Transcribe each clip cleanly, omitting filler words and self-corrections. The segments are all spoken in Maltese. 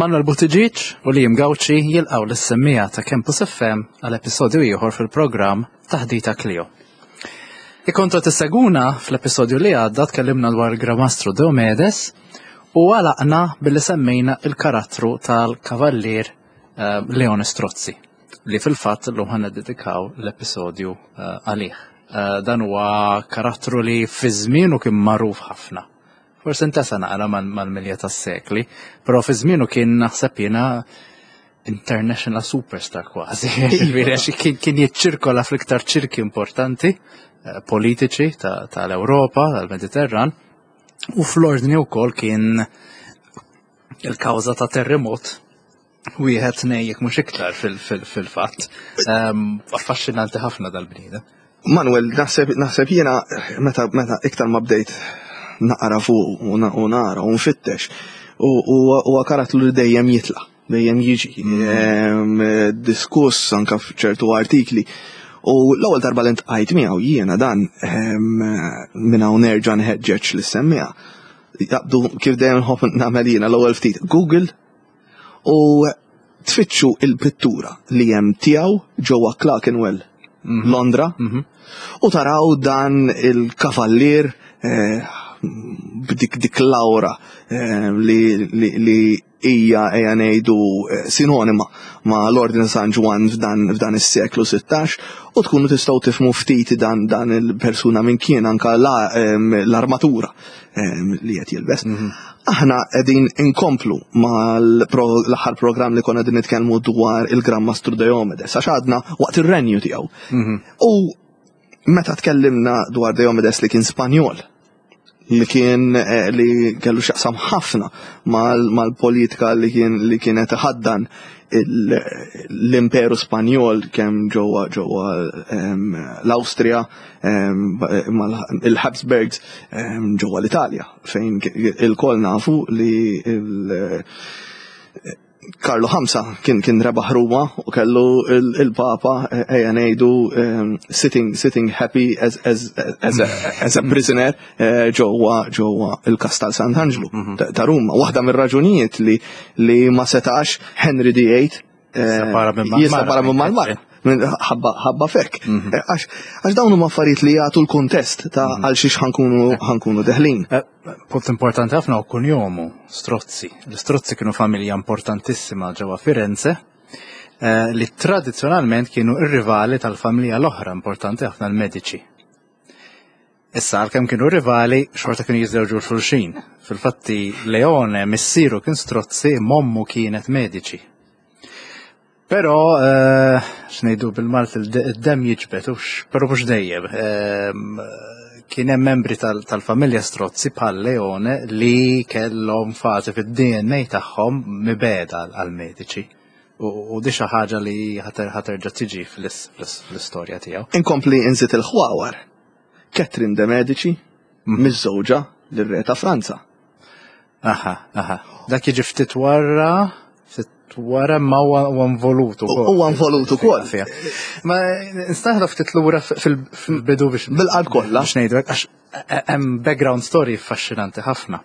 Manuel Buttigieg u Liam Gauci jilqgħu lis-semmiegħa ta' Campus FM għal episodju ieħor fil-programm Taħdita Clio. Ikontu tisseguna fl-episodju li għadda tkellimna dwar il-Gramastru Diomedes u għalaqna billi semmejna il-karattru tal-kavallier eh, Leone Strozzi li fil-fatt l-lum ħan dedikaw l-episodju eh, għalih. Eh, dan huwa karattru li fi żmienu kien magħruf ħafna. Forsi ntesa naqra mal-milja tas-sekli, però fi żmienu kien naħseb jiena international superstar kważi. Ġifieri għax kien jiċċirkola fl-iktar ċirki importanti eh, politiċi tal-Ewropa, tal-Mediterran, u fl-ordni wkoll kien il-kawża ta' terremot wieħed nej jekk mhux iktar fil-fatt. Ehm, affaxxinanti ħafna dal-bniedem. Manuel, naħseb naħseb jiena meta meta iktar ma bdejt naqra fuq u nara u nfittex u huwa karattru li dejjem jitla' dejjem jiġi mm. ehm, diskuss anka f'ċertu artikli. U l-ewwel darba li ntqajt miegħu jiena dan ehm, minn hawn nerġa' nħeġġeġ li semmiha. Jaqbdu kif dejjem nħobb nagħmel jiena l-ewwel ftit Google u tfittxu il-pittura li hemm tiegħu ġewwa Clerkenwell, mhm. Londra, mhm. u taraw dan il-kavallier eh, b'dik dik l-aura eh, li hija ejja ngħidu eh, sinonima ma' l-Ordni San Ġwann f'dan is-seklu 16 u tkunu tistgħu tifhmu ftit dan dan il-persuna minn kien anka l-armatura li qed jilbes. Mhm. Aħna qegħdin inkomplu mal-aħħar programm li konna qegħdin nitkellmu dwar il-Gran Mastru Diomedes għax għadna waqt ir-renju tiegħu. Mhm. U meta tkellimna dwar Diomedes li kien Spanjol, li kien eh, li kellu xaqsam ħafna mal-politika li kien li kienet ħaddan l-Imperu Spanjol kemm ġewwa ġewwa l-Awstrija il-Habsburgs ġewwa l-Italja fejn il-koll nafu li Karlu Ħamsa kien kien rebaħ Ruma u kellu il-Papa eh, ejja ngħidu sitting sitting happy as as as a, as a prisoner eh, ġewwa ġewwa il-Kastal Sant'Anġlu mhm. ta' Ruma. Waħda mir-raġunijiet li li ma setax Henry VIII Jissepara minn mal-mara. Ħabba fekk. Mhm. Eh, għax dawn huma affarijiet li jagħtu l-kuntest ta' mhm. għal xiex ħankunu deħlin. Eh, punt importanti ħafna u kunjomu, Strozzi. L-Strozzi kienu familja importantissima ġewwa Firenze eh, li tradizzjonalment kienu ir-rivali tal-familja l-oħra importanti ħafna l-Medici. Issa għalkemm kienu rivali, xorta kienu jiżżewġu l-xulxin. Fil-fatti Leone missieru kien Strozzi, mommu kienet Medici. Però eh, x'ngħidu bil-Malti id-demm jiġbed, però mhux dejjem. Ehm, kien hemm membri tal-familja Strozzi bħal Leone li kellhom fażi fid-DNA tagħhom mibeda għal-Medici. U di xi ħaġa li ħaterġa' tiġi fl-istorja tiegħu. Inkompli inżid il-ħwawar. Catherine de Medici, mhm. miżżewġa lir-re ta' Franza. Aha, aha. Dak jiġi ftit wara, ftit wara ma huwa involut ukoll. Huwa involut ukoll. Ma nistaħla ftit lura fil-bidu biex. Bil-qalb kollha. Biex ngħidu għax hemm background story affaxxinanti ħafna.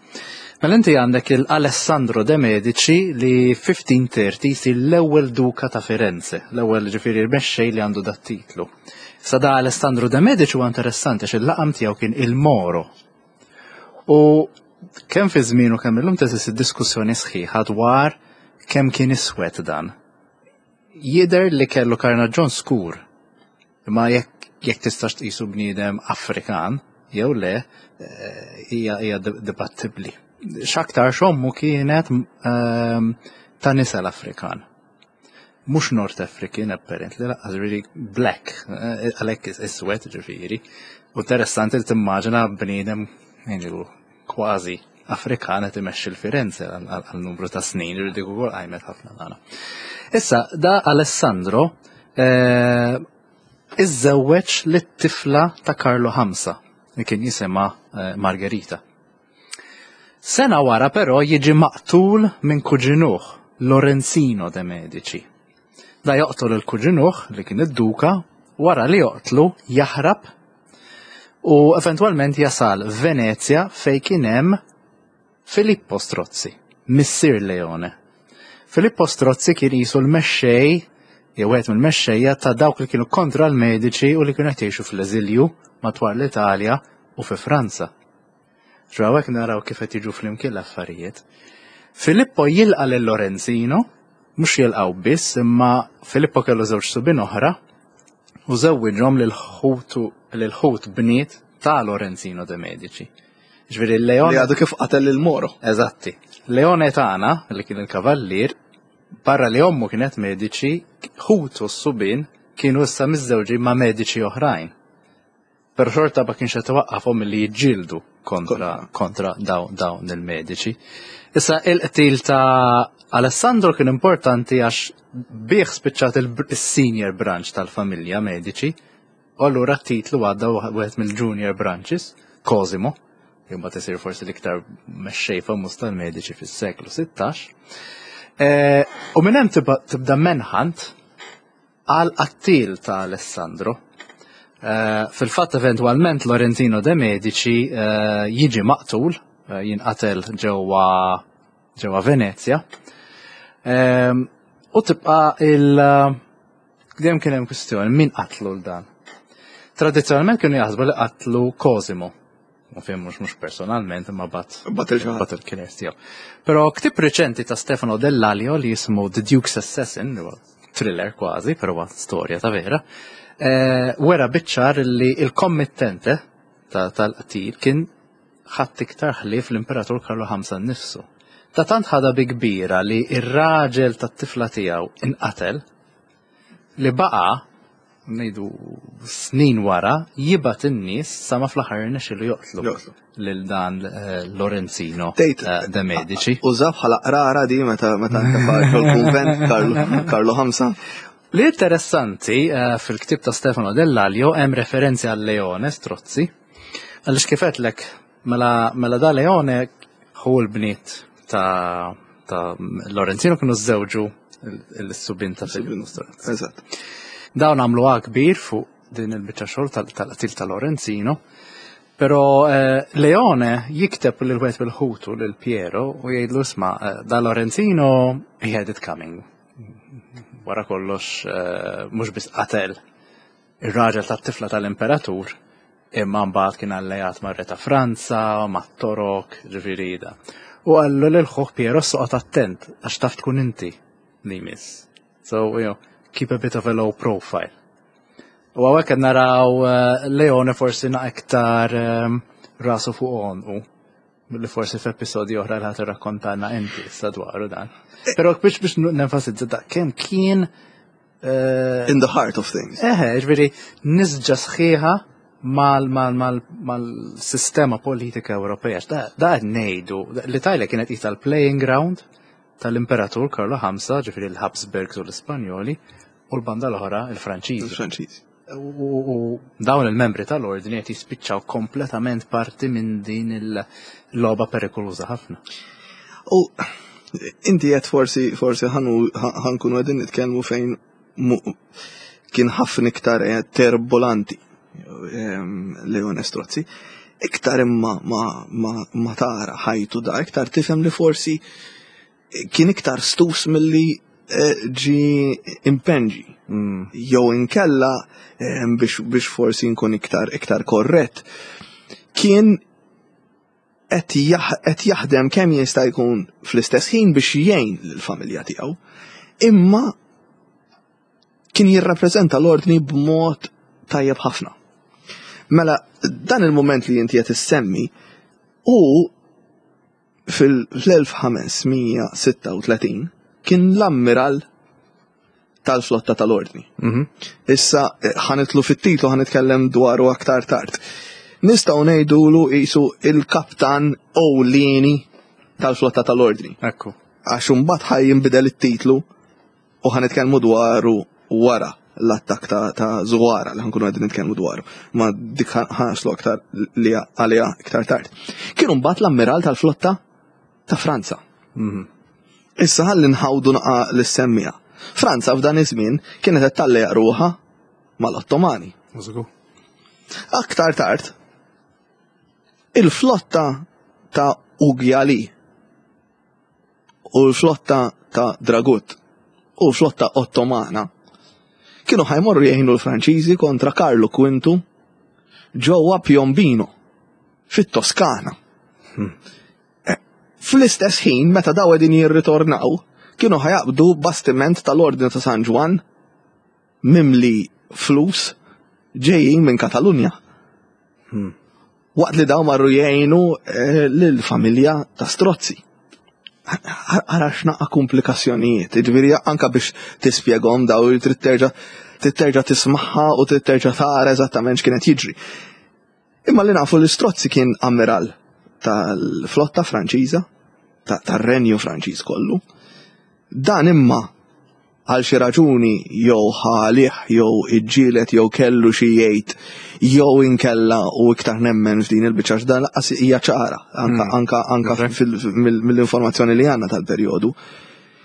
Mela inti għandek il-Alessandro de Medici li 1530 jsir l-ewwel duka ta' Firenze, l-ewwel ġifieri mexxej li għandu dat titlu. Sa da Alessandro de Medici huwa interessanti għax il-laqam tiegħu kien il-Moro. U kemm fi żmienu kemm illum teżisti diskussjoni sħiħa dwar kemm kien iswed dan. Jidher li kellu karnaġġon skur, imma jekk jekk tistax tqisu bniedem Afrikan jew le eh, hija hija dibattibbli. X'aktar xommu kienet ehm, ta' nisel Afrikan. Mhux North African apparently, laqqas really black, eh, għalhekk iswed ġifieri. U interessanti li timmaġina bniedem kważi Afrikan qed imexxi l-Firenze għal numru ta' snin, dik ukoll qajmet ħafna nagħna. Issa, da Alessandro eh, iżżewweġ lit-tifla ta' Karlo Ħamsa, li kien jisimha eh, Margherita. Sena wara però jiġi maqtul minn kuġinuh, Lorenzino de Medici. Da joqtol il-kuġinuh li kien id-duka, wara li joqtlu jaħrab u eventwalment jasal Venezja fejn kien hemm Filippo Strozzi, missier Leone. Filippo Strozzi kien qisu l-mexxej jew wieħed mill-mexxejja ta' dawk li kienu kontra l-Medici u li kienu qed jgħixu fl-eżilju madwar l-Italja u fi Franza. Ġrawek naraw kif qed jiġu flimkien l-affarijiet. Filippo jilqa' lil Lorenzino, mhux jilqgħu biss, imma Filippo kellu żewġ subien oħra u żewwiġhom lil ħutu lil ħut bniet ta' Lorenzino de Medici. Ġifieri Leone Li għadu kif qatel lil Moro. Eżatti. Leone tagħna, li kien il-kavallier, barra li ommu kienet Medici, ħutu s-subien kienu issa miżżewġin ma' Medici oħrajn. Pero xorta ma kienx qed iwaqqafhom milli jiġġieldu kontra, kontra dawn dawn il-mediċi. Issa il-qtil ta' Alessandro kien importanti għax bih spiċċat il-senior branch tal-familja mediċi, u allura t-titlu għadda wieħed mill-junior branches, Cosimo, li mbagħad isir forsi l-iktar mexxej famuż tal-mediċi fis-seklu 16. Eh, u minn hemm tibda manhunt għal qattiel ta' Alessandro. Eh, fil-fatt eventwalment Lorenzino de Medici eh, jiġi maqtul, eh, jinqatel ġewwa ġewwa Venezja. Ehm, u tibqa' il dejjem kien hemm kwistjoni min qatlu l dan. Tradizzjonalment kienu jaħsbu li qatlu Cosimo. Ma fim mhux mhux personalment imma bat bat il-ħadd il-killers tiegħu. Però ktib reċenti ta' Stefano Dell'Alio li jismu The Duke's Assassin, thriller kważi, però storja ta' vera, eh, wera biċċar li il-kommittente tal-qtil kien ħadd iktar ħlief l-Imperatur Karlu V nnifsu. Ta' tant ħada bi kbira li ir-raġel tat-tifla tiegħu inqatel li baqa' ngħidu snin wara jibgħat in-nies sa ma fl-aħħar irnexxielu joqtlu lil dan eh, Lorenzino eh, de Medici. Uża bħala qrara di meta meta l-kunvent Karlu Ħamsa. Li interessanti eh, fil-ktib ta' Stefano Dell'Alio hemm referenzi għal Leone Strozzi. Għaliex kif għedlek mela, mela da Leone hu l-bniet ta' ta' Lorenzino kienu żewġu l-subin ta' Filippo Strozzi. Eżatt. Dawn għamlu kbir fuq din il-biċċa xogħol tal-qtil ta' Lorenzino. Però eh, Leone jikteb lil wieħed bil-ħutu lil Piero u jgħidlu isma' eh, da Lorenzino he had it coming. Wara kollox eh, mhux biss qatel ir-raġel tat-tifla tal-imperatur, imma mbagħad kien alleat mar-re ta' Franza, mat-Torok, ġifieri da. U qallu lil ħuh Piero soqgħod attent għax taf tkun inti li jmiss. So, you know, keep a bit of a low profile. U hawnhekk qed naraw eh, Leone forsi na iktar eh, rasu fuq għonqu li forsi f'episodji oħra li ħadd irrakkontalna inti issa dwaru dan. Però biex biex nenfasizza da kemm kien eh, In the heart of things. Eħe, ġifieri nisġa sħiħa mal-sistema politika Ewropea. Da qed ngħidu, l-Italja kienet qisha l-playing ground tal-Imperatur Karlu V, ġifieri l-Habsburgs u l-Ispanjoli, u l-banda l-oħra il-Franċiżi. Il-Franċiżi. U dawn il-membri tal-ordni qed jispiċċaw kompletament parti minn din il-logħba perikoluża ħafna. U inti qed forsi forsi ħankunu qegħdin nitkellmu fejn kien ħafna iktar eh, terbolanti ehm, Leone Strozzi. Iktar imma ma, ma, ma tara ħajtu da, iktar tifhem li forsi kien iktar stus milli eh, ġi impenġi. Mm. Jew inkella eh, biex, biex forsi nkun iktar iktar korrett. Kien qed jaħdem kemm jista' jkun fl-istess ħin biex jgħin lill-familja tiegħu. Imma kien jirrappreżenta l-ordni b'mod tajjeb ħafna. Mela, dan il-moment li inti qed issemmi hu fil-1536 kien l-ammiral tal-flotta tal-ordni. Mhm. Issa eh, ħanitlu fit-titlu ħanitkellem dwaru aktar tard. Nistgħu ngħidulu qisu il-kaptan ewlieni tal-flotta tal-ordni. Ekku. Għax imbagħad ħaj jinbidel it-titlu u ħanitkellmu dwaru wara l-attak ta', ta Zuwara li ħankunu għedin nitkellmu dwaru. Ma dik ħaslu aktar li għalija iktar tard. Kienu mbagħad l-ammiral tal-flotta ta' Franza. Mhm. Issa ħalli nħawdu naqa l-semmija. Franza f'dan iż-żmien kienet qed tallejaq ruħha mal-Ottomani. Aktar tard, il-flotta ta' Ugjali u l-flotta ta' Dragut u l-flotta Ottomana kienu ħa jmorru jgħinu l-Franċiżi kontra Karlu Quintu ġewwa Piombino fit-Toskana. Eh, fl-istess ħin meta daw qegħdin jirritornaw, kienu ħa jaqbdu bastiment tal-Ordni ta' San Ġwann mimli flus ġejjin minn Katalunja. Waqt li daw marru jgħinu eh, lill-familja ta' Strozzi. Ara x'naqra komplikazzjonijiet, ġifieri anka biex tispjegahom daw trid terġa' trid terġa' tismagħha u trid terġa' tara eżattament x'kienet jiġri. Imma li nafu li Strozzi kien ammiral tal-flotta Franċiża, tar-Renju Franċiż kollu. Dan imma għal xi raġuni jew ħalih jew iġġielet jew kellu xi jgħid jew inkella u iktar nemmen f'din il-biċċa dan lanqas hija ċara anka anka anka mill-informazzjoni li għandna tal-perjodu.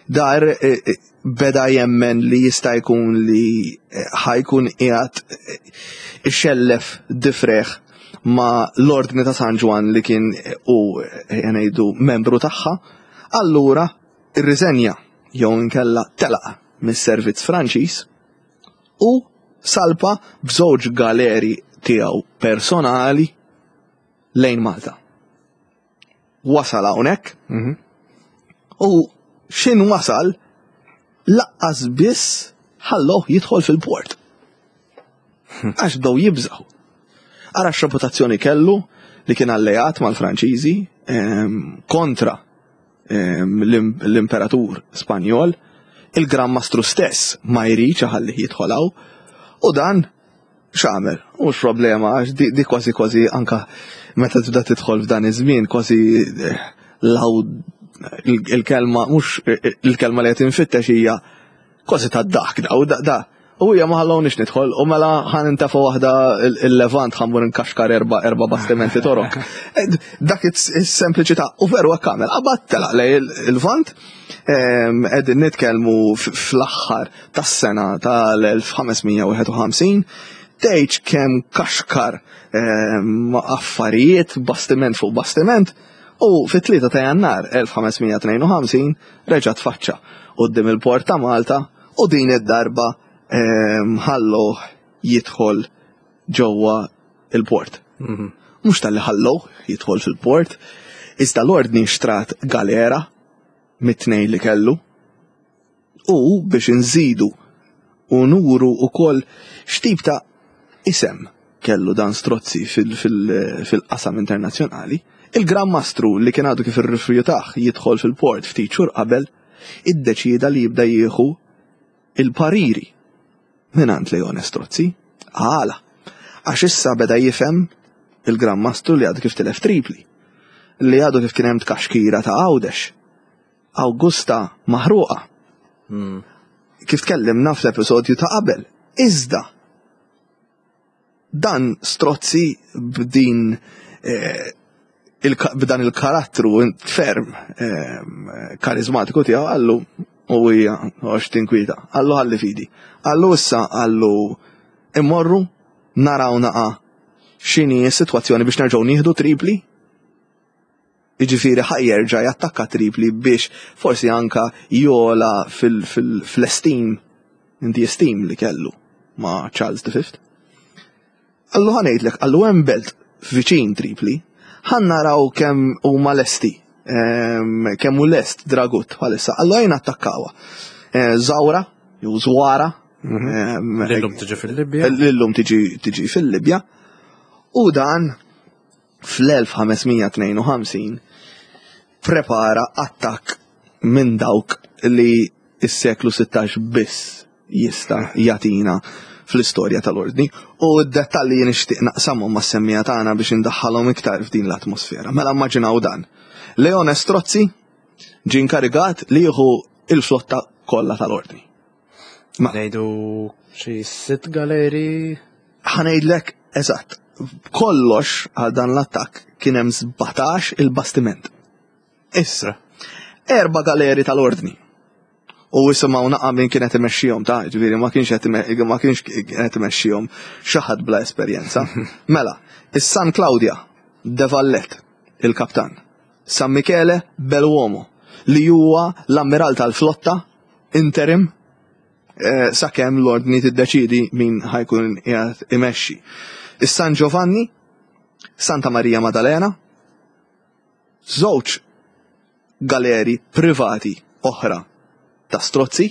Dar eh, eh, beda jemmen li jista' jkun li eh, ħa jkun qiegħed ixellef difreħ ma l-ordni ta' San Ġwann li kien u ngħidu membru tagħha, allura irriżenja jew inkella telaq mis-servizz Franċiż u salpa b'żewġ galeri tiegħu personali lejn Malta. Wasal hawnhekk u xin wasal lanqas biss ħalloh jidħol fil-port. Għax bdew jibżaw. Ara x-reputazzjoni kellu li kien alleat mal-Franċiżi kontra l-imperatur Spanjol, il-Gran Mastru stess ma jridx iħallih jidħol hawn, u dan x'għamel? Mhux problema għax di, di kważi kważi anka meta tibda tidħol f'dan iż-żmien kważi eh, law il-kelma mhux eh, il-kelma li qed infittex hija kważi tad-daħk da u da, da. U hija ma ħallonix nidħol u mela ħa nintefa' waħda il-Levant ħa mmur nkaxkar erba' erba' bastimenti torok. Eh, dak is-sempliċità u veru hekk għamel. Qabad telaq lejn il-Lvant qegħdin nitkellmu fl-aħħar tas-sena tal-1551 tgħidx kemm kaxkar affarijiet bastiment fuq bastiment u fit-3 ta' Jannar 1552 reġa' tfaċċa quddiem il-port ta' Malta u din id-darba ħalluh jidħol ġewwa il-port. Mhux talli ħalluh jidħol fil-port, iżda l-ordni xtrat galera mit-tnejn li kellu u biex inżidu u nuru ukoll x'tip ta' isem kellu dan Strozzi fil-qasam internazzjonali, il-Gran Mastru li kien għadu kif irrifjutah jidħol fil-port ftit xhur qabel, iddeċieda li jibda jieħu il-pariri mingħand Leone Strozzi. Għala? Għax issa beda jifhem il-Gran Mastru li għadu kif tilef Tripli, li għadu kif kien hemm tkaxkira ta' Għawdex, Awgusta maħruqa. Kif tkellimna fl-episodju ta' qabel. Iżda dan Strozzi b'din eh, b'dan il-karattru ferm eh, karizmatiku tiegħu qallu u hija għax tinkwita. Qallu ħalli fidi. Qallu issa qallu immorru naraw naqa x'inhi s-sitwazzjoni biex nerġgħu nieħdu Tripli. Jiġifieri ħa jerġa' jattakka Tripli biex forsi anka jola fil-esteem, in the esteem li kellu ma' Charles V. Qallu ħa ngħidlek, qallu hemm belt viċin Tripli, ħa naraw kemm huma lesti, kemm hu lest Dragut bħalissa, qallu ejja nattakkawha. Eh, Zawra, jew Zwara. Lillum tiġi fil-Libja. Lillum tiġi fil-Libja. U dan fl-1552 prepara attakk minn dawk li s-seklu 16 biss jista' jagħtina fl-istorja tal-ordni u d-dettalji jien nixtieq naqsamhom mas-semmiegħa tagħna biex indaħħalhom iktar f'din l-atmosfera. Mela immaġinaw dan. Leone Strozzi ġie inkarigat li jieħu il-flotta kollha tal-ordni. Ma ngħidu xi sitt galeri. Ħa ngħidlek eżatt. Kollox għal dan l-attakk kien hemm 17 il-bastiment. Issa, erba' galeri tal-ordni. U isimgħu naqa' min kien qed imexxihom ta' ġifieri ma kienx qed ma kienx qed imexxihom xi ħadd bla esperjenza. Mela, is-San Claudia de Vallet, il-kaptan. San Michele Belluomo. li huwa l-ammiral tal-flotta interim eh, sakemm l-ordni tiddeċidi min ħajkun qiegħed imexxi. Is-San Giovanni, Santa Maria Maddalena, żewġ galeri privati oħra ta' Strozzi,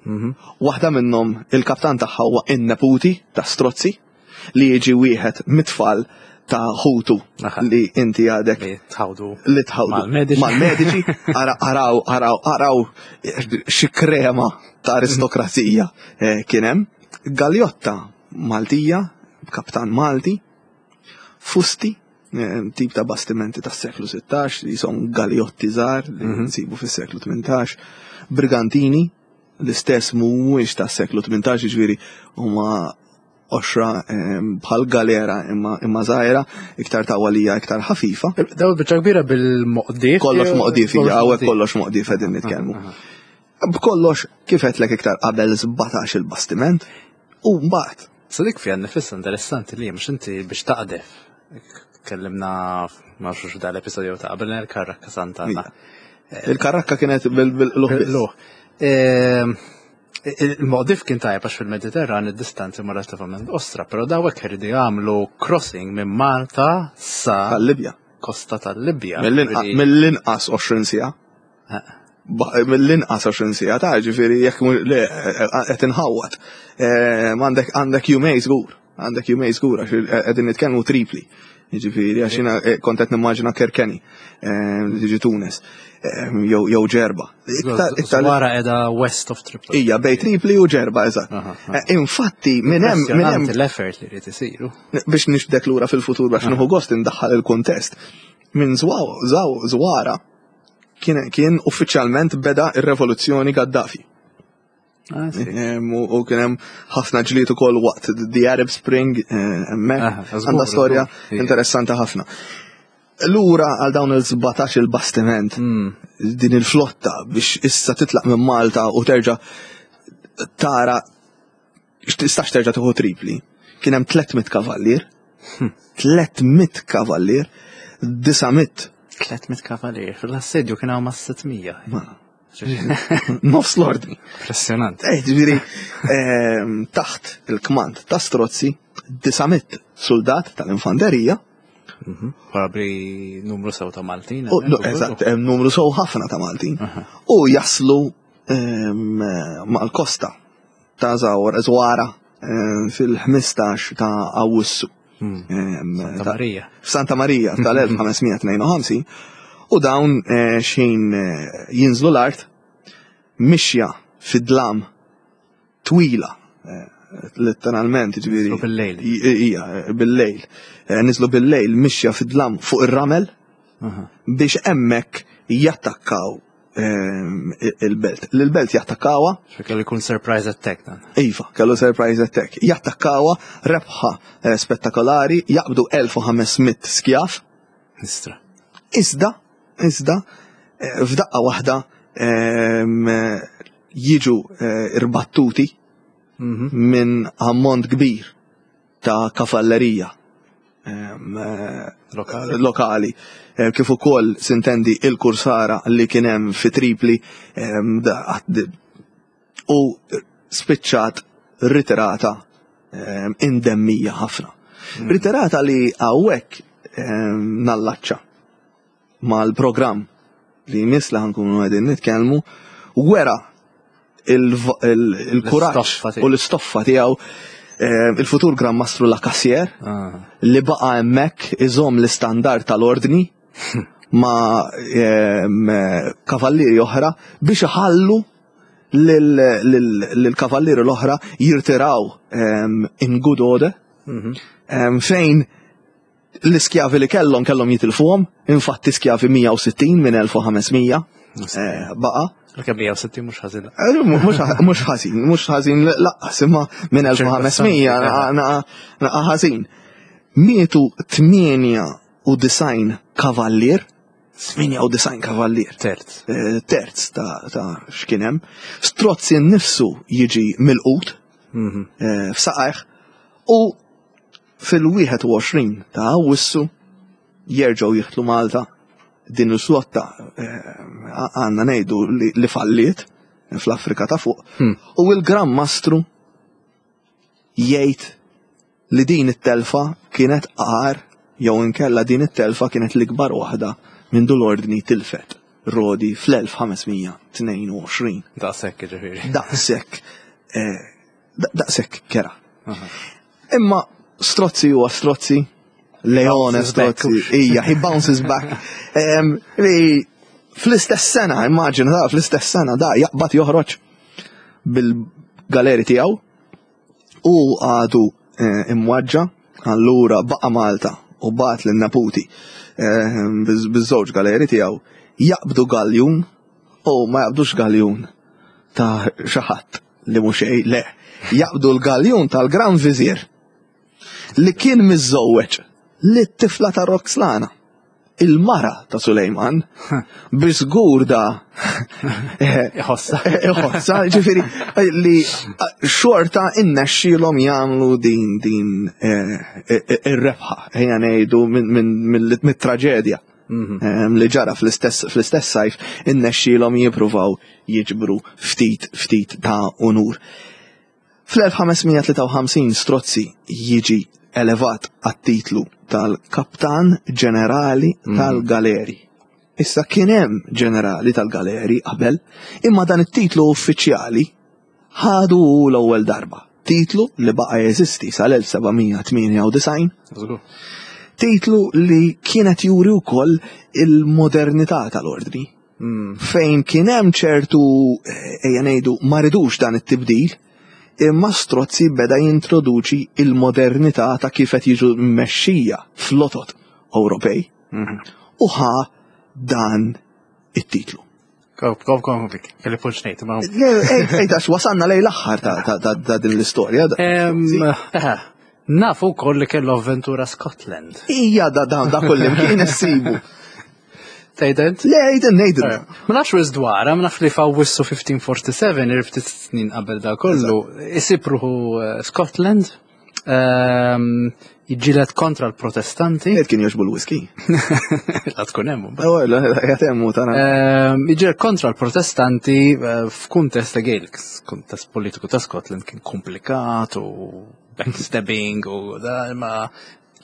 mhm. waħda minnhom il-kaptan tagħha huwa in-neputi ta' Strozzi li jiġi wieħed mit-tfal ta' ħutu li inti għadek li tħawdu li tħawdu mal-mediċi araw araw araw xi krema ta' aristokrazija eh, kien hemm. Galjotta Maltija, kaptan Malti, fusti, eh, tip ta' bastimenti tas seklu 16 li jisom galjotti żgħar li mhm. nsibu fis-seklu 18, brigantini, l-istess mhuwiex tas seklu 18 ġifieri huma qoxra bħal galera imma imma żgħira, iktar tawalija, iktar ħafifa. Daw biċċa kbira bil-moqdif. Kollox moqdif, hija hawnhekk kollox moqdif qegħdin nitkellmu. B'kollox kif għedtlek iktar qabel 17 il-bastiment u mbagħad. Sa dik fiha nifisha interessanti li mhux inti biex taqdef. Kellimna ma nafx da l-episodju ta' qabel il-karrakka Sant'Anna. Il-karrakka kienet bil-luħ. Ehm, Il-moqdif kien tajjeb għax fil-Mediterran id-distanzi ma relattivament ostra, però dawk iridu jagħmlu crossing minn Malta sa tal-Libja. Kosta tal-Libja. Mill-inqas 20 siegħa. Mill-inqas 20 siegħa ta' ġifieri jekk le qed inħawwad. Eh, għandek għandek jumej żgur, għandek jumej żgur għax qegħdin nitkellmu tripli. Jiġifieri għax jiena eh, kont qed nimmaġina Kerkeni eh, li tiġi Tunis eh, jew Ġerba. Wara qiegħda west of Tripoli. Ija, bej Tripli u Ġerba, eżatt. Infatti minn hemm minn hemm l-effort li jrid isiru. Biex nixbdek lura fil-futur biex nieħu gost indaħħal il-kuntest. Minn Zwara kien uffiċjalment beda ir-revoluzzjoni Gaddafi. Ah, u kien hemm ħafna ġlied ukoll waqt the Arab Spring eh, hemmhekk. Ah, Għandha storja interessanti ħafna. Lura għal dawn il-17 il-bastiment hmm. din il-flotta biex issa titlaq minn Malta u terġa' tara tistax terġa' tieħu tripli. Kien hemm 300 kavallier, 300 hmm. kavallier, 900. 300 kavallier, fil-assedju kien hawn ma' 600. Nofs l-ordni. Impressionant. Eh, ġifieri, ehm, taħt il-kmand ta' Strozzi, 900 soldat tal-infanterija. Mhm. Probabli numru sew ta' Maltin. Eżatt, numru sew ħafna ta' Maltin. U jaslu ehm, mal-kosta ta' Zawara eh, fil-15 ta' Awwissu. Hmm. Santa Marija. Santa Marija tal-1552 u dawn eh, xejn eh, jinżlu l-art mixja fid-dlam twila letteralment ġifieri. Bil-lejl. Ija, bil-lejl. Niżlu bil-lejl mixja fid-dlam fuq ir-ramel biex hemmhekk jattakkaw ehm, il-belt. L-belt jattakkawa. Kellu jkun surprise attack dan. Iva, kellu surprise attack. Jattakkawa rebħa eh, spettakolari, jaqbdu 1500 skjaf. Istra. Iżda, iżda, eh, f'daqqa waħda ehm, jiġu eh, irbattuti mhm. minn ammont kbir ta' kavallerija eh, lokali, lokali. Eh, kif ukoll sintendi il-kursara li kien hemm fi Tripli u spiċċat ritirata indemmija ħafna. Mm. Ritirata li hawnhekk nallaċċa mal-programm li jmiss li ħankunu qegħdin nitkellmu wera il-kuraġġ u l-istoffa tiegħu eh, il-futur Gran Mastru La Cassier ah. li baqa' hemmhekk iżomm l-istandard tal-ordni ma' ehm, kavallieri oħra biex iħallu lill-kavallieri l-oħra jirtiraw ehm, in good order mhm. ehm, fejn L-iskjavi li kellhom kellhom jitilfuhom, infatti skjavi 160 minn 1500 eh, baqa. Kemm 160 mhux ħażin. Eh, mhux ħażin, mhux ħażin laqqas imma minn 1500 naqa ħażin. Mietu 98 kavallier, 98 kavallier. Terz. Eh, terz ta' x'kien hemm. Strozzi nnifsu jiġi milqut mhm. f'saqajh u Fil-21 ta' Awwissu jerġgħu jidħlu Malta Din il-flotta għandna ngħidu li falliet fl-Afrika ta' fuq. U il-Gran Mastru jgħid li din it-telfa kienet agħar jew inkella din it-telfa kienet l-ikbar waħda mindu l-Ordni tilfet Rodi fl-1522. Daqshekk jiġifieri. Daqshekk. Daqshekk kera. Imma Strozzi huwa Strozzi, Leone Strozzi, ija, he bounces back. Li fl-istess sena, immaġina da, fl-istess sena da jaqbad joħroġ bil-galeri tiegħu u għadu eh, imwaġġa, allura baqa' Malta u bat lin neputi eh, biż-żewġ galeri tiegħu jaqbdu galjun u ma jaqbdux galjun ta' xi ħadd li mhux xejn, le, jaqbdu l-galjun tal-Gran Vizier li kien miżżewweġ lit-tifla ta' Roxlana il-mara ta' Sulejman, bi żgur da Iħossa. Iħossa, ġifieri li xorta innexxielhom jagħmlu din din eh, eh, ir-rebħa, ejja ngħidu mit-traġedja mhm. li ġara fl-istess sajf innexxielhom jippruvaw jiġbru ftit ftit ta' unur. Fl-1553 Strozzi jiġi elevat għat-titlu tal-Kaptan Ġenerali mhm. tal-Galeri. Issa kien hemm ġenerali tal-galeri qabel, imma dan it-titlu uffiċjali ħadu hu l-ewwel darba. Titlu li baqa' jeżisti sal-1798. Titlu li kienet juri wkoll il-modernità tal-ordni. Hmm. Fejn kien hemm ċertu eh, ejja ngħidu ma ridux dan it-tibdil, imma Strozzi beda jintroduċi il-modernità ta' kif qed jiġu mmexxija flotot Ewropej. Mhm. U ħa dan it-titlu. Kom, kom, kom, kelli punt ngħid. Ej, għax wasalna lej l-aħħar ta' din l-istorja. Eh, nafu wkoll li kellu avventura Scotland. Ija da da da kullim kien issibu. Tgħident? Le, għidin, ngħidin. Eh, ma nafx wis dwarha, ma nafx li f'Awwissu 1547, irftit snin qabel da kollu, isib ruħu eh, Scotland Ehm, jiġġieled kontra l-protestanti. Qed kien jogħġbu l-whisky. La tkun hemm. Oh, qiegħed hemm tara. Ehm, jiġġieled kontra l-protestanti eh, f'kuntest ta' Gaelic, kuntest politiku ta' Scotland kien komplikat u backstabbing u da ma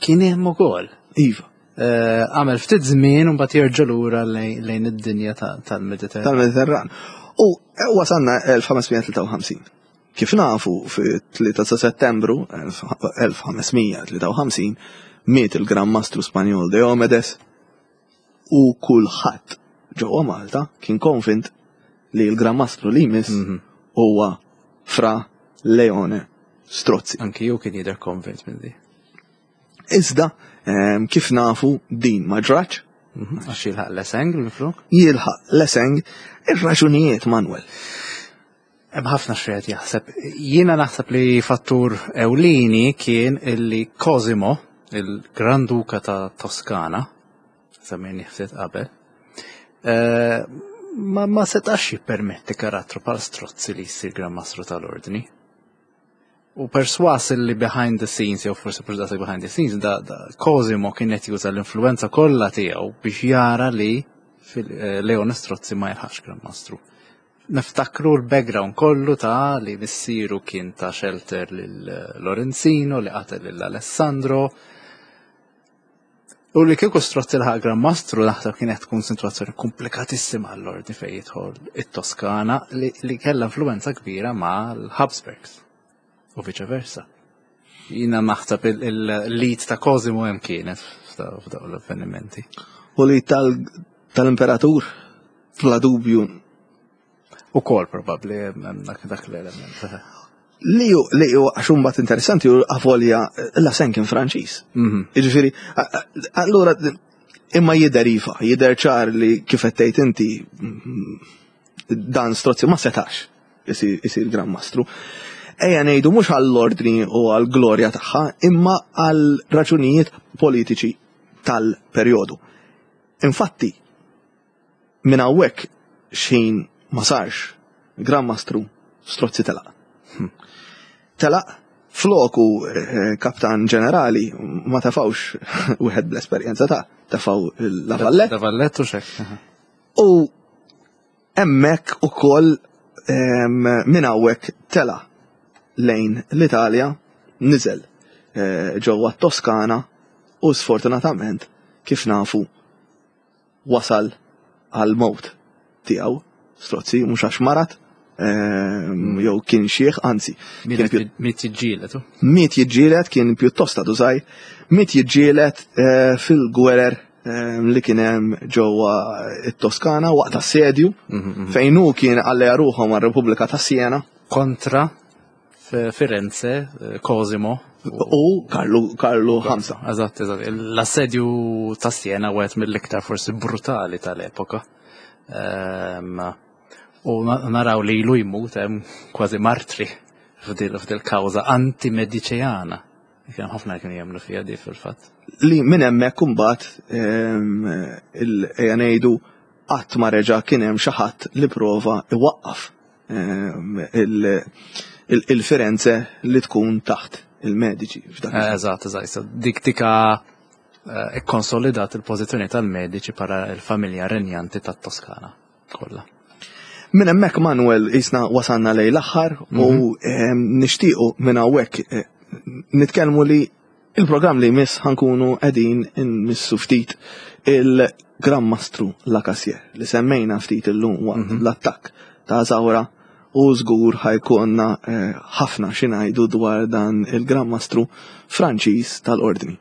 kien hemm ukoll. Iva. Eh, għamel ftit żmien u mbagħad jerġa' lura lejn id-dinja tal-Mediterran. Tal-Mediterran. U eh, wasalna 1553. Kif nafu, fit-3 ta' Settembru 1553 miet il-Gran Mastru Spanjol Diomedes u kulħadd ġewwa Malta kien konvint li l-Gran Mastru li jmiss mhm. huwa Fra Leone Strozzi. Anki ju kien jidher konvint minn di. Iżda, ehm, kif nafu din ma ġratx. Mhm, għax jilħaq l-eseng minflok? Jilħaq l-eseng, ir-raġunijiet Manuel. Hemm ħafna x'wieħed jaħseb. Jiena naħseb li fattur ewlieni kien illi Cosimo, il-Gran Duka ta' Toskana, semmejni ftit qabel, eh, ma, ma setax jippermetti karattru bħal Strozzi li jsir Gran Mastru tal-Ordni. U perswas li behind the scenes, jew forsi mhux daqshekk behind the scenes, da, da Cosimo kien qed juża l-influenza kollha tiegħu biex jara li eh, Leone Strozzi ma jilħaqx Gran Mastru. Niftakru l-background kollu ta' li missieru kien ta' shelter lil Lorenzino li qatel lil Alessandro. U li kieku Strozzi laħaq Gran Mastru naħseb kienet tkun situazzjoni komplikatissima għall-ordni fejn jidħol it-Toskana li, li kellha influenza kbira ma' l-Habsburgs u viċa versa. Jina naħseb il-lead ta' Cosimo hemm kienet f'dawn l-avvenimenti. U li tal-imperatur Bla dubju. U kol probabli dak dak l-element. Li ju, li ju, għax mbagħad interessanti u avolja la sen kien Franċiż. Mhm. Jiġifieri, allura imma jidher iva, jidher ċar li kif qed tgħid inti mm, dan Strozzi ma setax isir Gran Mastru. Ejja ngħidu mhux għall-ordni u għall-glorja tagħha, imma għal raġunijiet politiċi tal-perjodu. Infatti, Minn hawnhekk x'ħin ma sarx Gran Mastru, Strozzi telaq. Hm. Telaq Floku kaptan ġenerali ma tafawx wieħed bl-esperjenza ta' tafaw La Vallette. La Vallette u xek. U hemmhekk ukoll minn hawnhekk tela lejn l-Italja, niżel eh, ġewwa t-Toskana u sfortunatament kif nafu wasal għal mowt tiegħu Strozzi mhux għax marat ehm, jew kien xieħ, anzi. Miet jiġġieled. Miet jiġġieled kien pjuttost għadu żgħir, miet jiġġieled eh, fil-gwerer ehm, li kien hemm ġewwa it-Toskana waqt assedju mhm, mhm. fejn hu kien alleja ruħhom għar-Repubblika ta' Siena. Kontra Firenze, eh, Cosimo. U Karlu Karlu Ħamsa. Eżatt, eżatt. L-assedju ta' Siena wieħed mill-iktar forsi brutali tal-epoka. Ehm, u naraw li ilu jmut hemm kważi martri f'dil kawża anti-mediċeana. Kien ħafna kienu jemmnu fiha di fil-fatt. Li minn hemmhekk imbagħad ehm, ejja ngħidu qatt ma reġa' kien hemm xi ħadd li prova iwaqqaf ehm, il-Firenze li tkun taħt il-mediċi. Eżatt, eżatt. Dik tika eh, ikkonsolidat il-pożizzjoni tal-mediċi bħala l-familja renjanti tat-Toskana kollha. Minn hemmhekk Manuel isna wasalna lej l-aħħar u mhm. ehm, nixtiequ minn hawnhekk eh, nitkellmu li il-programm li jmiss ħankunu qegħdin inmissu ftit il-Gran Mastru Lacasier li semmejna ftit illum waqt mhm. l-attakk ta' Zawra u żgur ħajkonna eh, ħafna xi ngħidu dwar dan il-Gran Mastru Franċiż tal-Ordni.